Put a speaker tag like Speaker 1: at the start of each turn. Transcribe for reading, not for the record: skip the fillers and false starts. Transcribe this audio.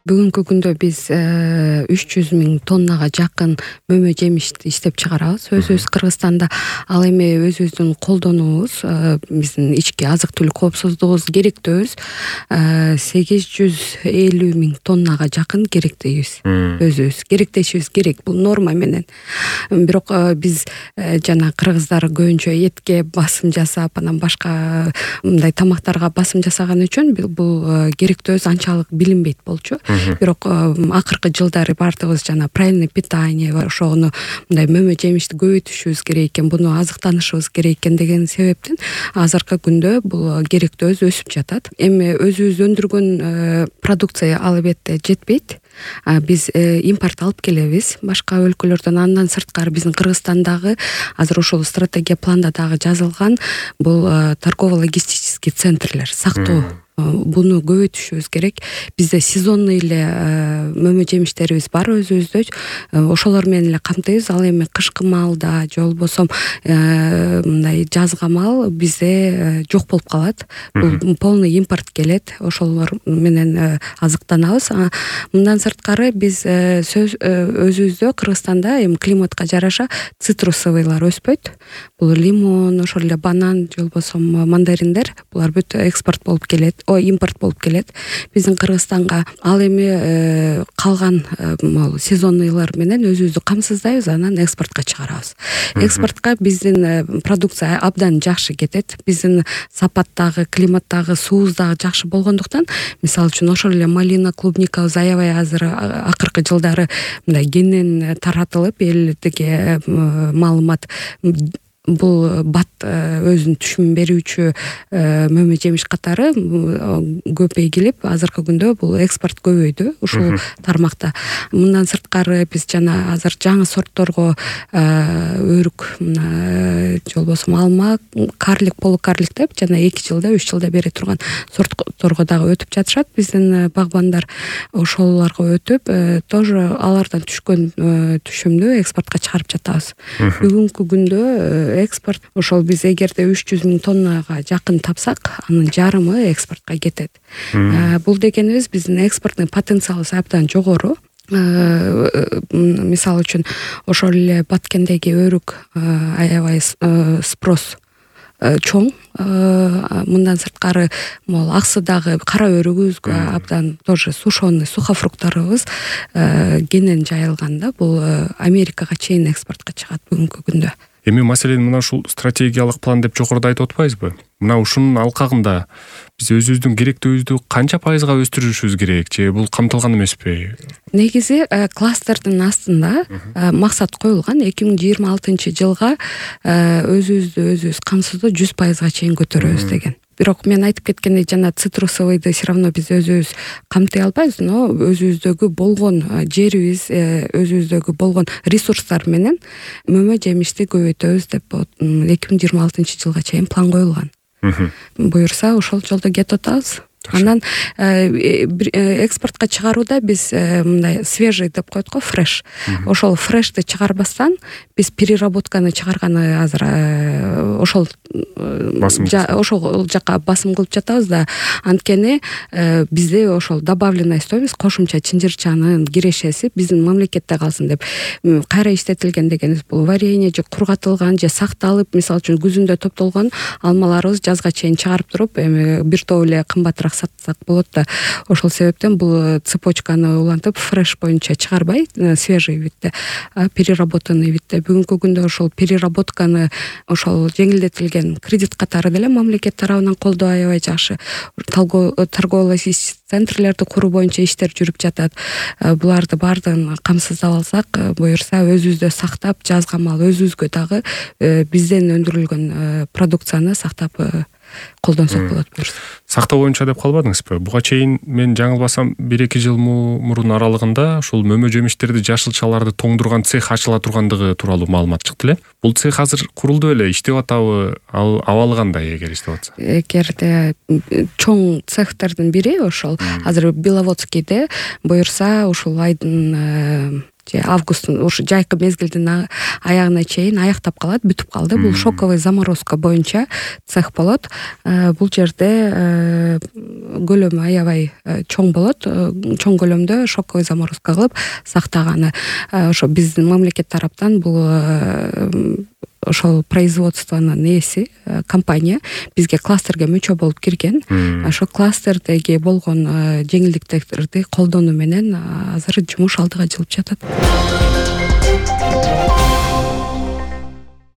Speaker 1: Бүгүнкү күндө биз 300 000 тоннага жакын мөмө жемишти иштеп чыгарабыз өзүбүз Кыргызстанда. Ал эми өзүбүздүн колдонуубуз, биздин ички азык түлүк коопсуздугубуз керектөөбүз 850 000 тоннага жакын керектейбиз. Өзүбүз керектешибиз керек, бул норма менен. Бирок биз жана кыргыздар көбүнчө этке басым жасап, анан башка мындай тамактарга басым жасаган үчүн бул керектөөбүз анчалык билинбейт болчу. Бирок акыркы жылдары баардыгыбыз жана правильный питание ошону мындай мөмө жемишти көбөйтүшүбүз керек экен, буну азыктанышыбыз керек экен деген себептен азыркы күндө бул керектөөбүз өсүп жатат. Эми өзүбүз өндүргөн продукция албетте жетпейт. Биз импорт алып келебиз башка өлкөлөрдөн. Андан сырткары биздин Кыргызстандагы азыр ошол стратегия планда дагы жазылган бул торгово-логистический центрлер, сактоо. Буну көбөйтүшүбүз керек. Бизде сезонный эле мөмө жемиштерибиз бар өзүбүздө. Ошолор менен эле камтыйбыз. Ал эми кышкы маалда же болбосо мындай жазга маал бизде жок болуп калат. Бул полный импорт келет. Ошолор менен азыктанабыз. Мындан сырткары биз өзүбүздө Кыргызстанда эми климатка жараша цитрусовыйлар өспөйт. Бул лимон, ошол эле банан же болбосо мандариндер, булар бүт экспорт болуп келет. Импорт болуп келет биздин Кыргызстанга. Ал эми калган сезонныйлар менен өзүбүздү камсыздайбыз, анан экспортко чыгарабыз. Экспортко биздин продукция абдан жакшы кетет. Биздин сапаттагы, климаттагы, суубуз дагы жакшы болгондуктан, мисалы үчүн ошол эле малина, клубникабыз аябай азыр акыркы жылдары мындай кеңинен таратылып, элдике маалымат бул бат өзүнүн түшүмүн берүүчү мөмө жемиш катары көбөйгилип, азыркы күндө бул экспорт көбөйдү ушул тармакта. Мындан сырткары биз жана азыр жаңы сортторго өрүк, же болбосо алма, карлик, полукарлик деп жана 2 жылда, 3 жылда бере турган сортторго дагы өтүп жатышат биздин багбандар. Ошолорго өтүп, тоже алардан түшкөн түшүмдү экспортко чыгарып жатабыз. Бүгүнкү күндө экспорт ошол биз эгерде 300 000 тоннага жакын тапсак, анын жарымы экспортко кетет. Бул дегенибиз биздин экспорттун потенциалы абдан жогору. Мисалы үчүн ошол эле Баткендеги өрүк аябай спрос чоң. Мындан сырткары могул Аксыдагы кара өрүгүбүзгө абдан тоже сушеный сухофрукттарыбыз кенен жайылганда, бул Америкага чейин экспортко чыгат бүгүнкү күндө.
Speaker 2: Эми маселени мына ушул стратегиялык план деп жогоруда айтып атпайбызбы? Мына ушунун алкагында биз өзүбүздүн керектөөбүздү канча пайызга өстүрүшүбүз керек, же бул камтылган эмеспи?
Speaker 1: Негизи кластердин астында максат коюлган 2026 жылга өзүбүз камсыздоо 100%га чейин көтөрөбүз деген. Бирок мен айтып кеткендей, жана цитрусовыйды все равно биз өзүбүз камтый албайбыз, но өзүбүздөгү болгон жерибиз, өзүбүздөгү болгон ресурстар менен мөмө жемишти көбөйтөбүз деп 2026 жылга чейин план коюлган. Буюрса ошол жолдо кетип атабыз. Анан экспортко чыгарууда биз мындай свежий деп коет го, фреш. Ошол фрешти чыгарбастан биз переработканы чыгарганы азыр ошол жака басым кылып жатабыз да. Анткени бизде ошол добавленная стоимость, кошумча чынжырчанын кирешеси биздин мамлекетте калсын деп. Кайра иштетилген дегенибиз бул варенье же кургатылган же сакталып, мисалы үчүн күзүндө топтолгон алмаларыбыз жазга чейин чыгарып туруп, эми бир топ эле кымбатыраак сатсак болот да. Ошол себептен бул цепочканы улантып фреш боюнча чыгарбай, свежий видде, переработанный видде. Бүгүнкү күндө ошол переработканы ошол жеңилдетилген кредит катары деле мамлекет тарабынан колдоо аябай жакшы. Торгово-логистический центрлерди куруу боюнча иштер жүрүп жатат. Буларды баардыгын камсыздап алсак, буюрса өзүбүздө сактап, жазга маал өзүбүзгө дагы бизден өндүрүлгөн продукцияны сактап колдонсок болот.
Speaker 2: Сактоо боюнча деп калбадыңызбы? Буга чейин мен жаңылбасам 1-2 жыл мурун аралыгында ушул мөмө жемиштерди, жашылчаларды тоңдурган цех ачыла тургандыгы тууралуу маалымат чыкты эле. Бул цех азыр курулду беле, иштеп атабы? Ал абалы кандай эгер иштеп атса?
Speaker 1: Эгерде чоң цехтердин бири ошол азыр Беловодскийде, буюрса ушул айдын же августтун ушу жайкы мезгилдин аягына чейин аяктап калат, бүтүп калды. Бул шоковый заморозка боюнча цех болот. Бул жерде көлөмү аябай чоң болот. Чоң көлөмдө шоковый заморозка кылып сактаганы. Ошо биздин мамлекет тараптан бул ошол производствонун ээси компания бизге кластерге мүчө болуп кирген. Ошол кластердеги болгон жеңилдиктерди колдонуу менен азыр жумуш алдыга жылып жатат.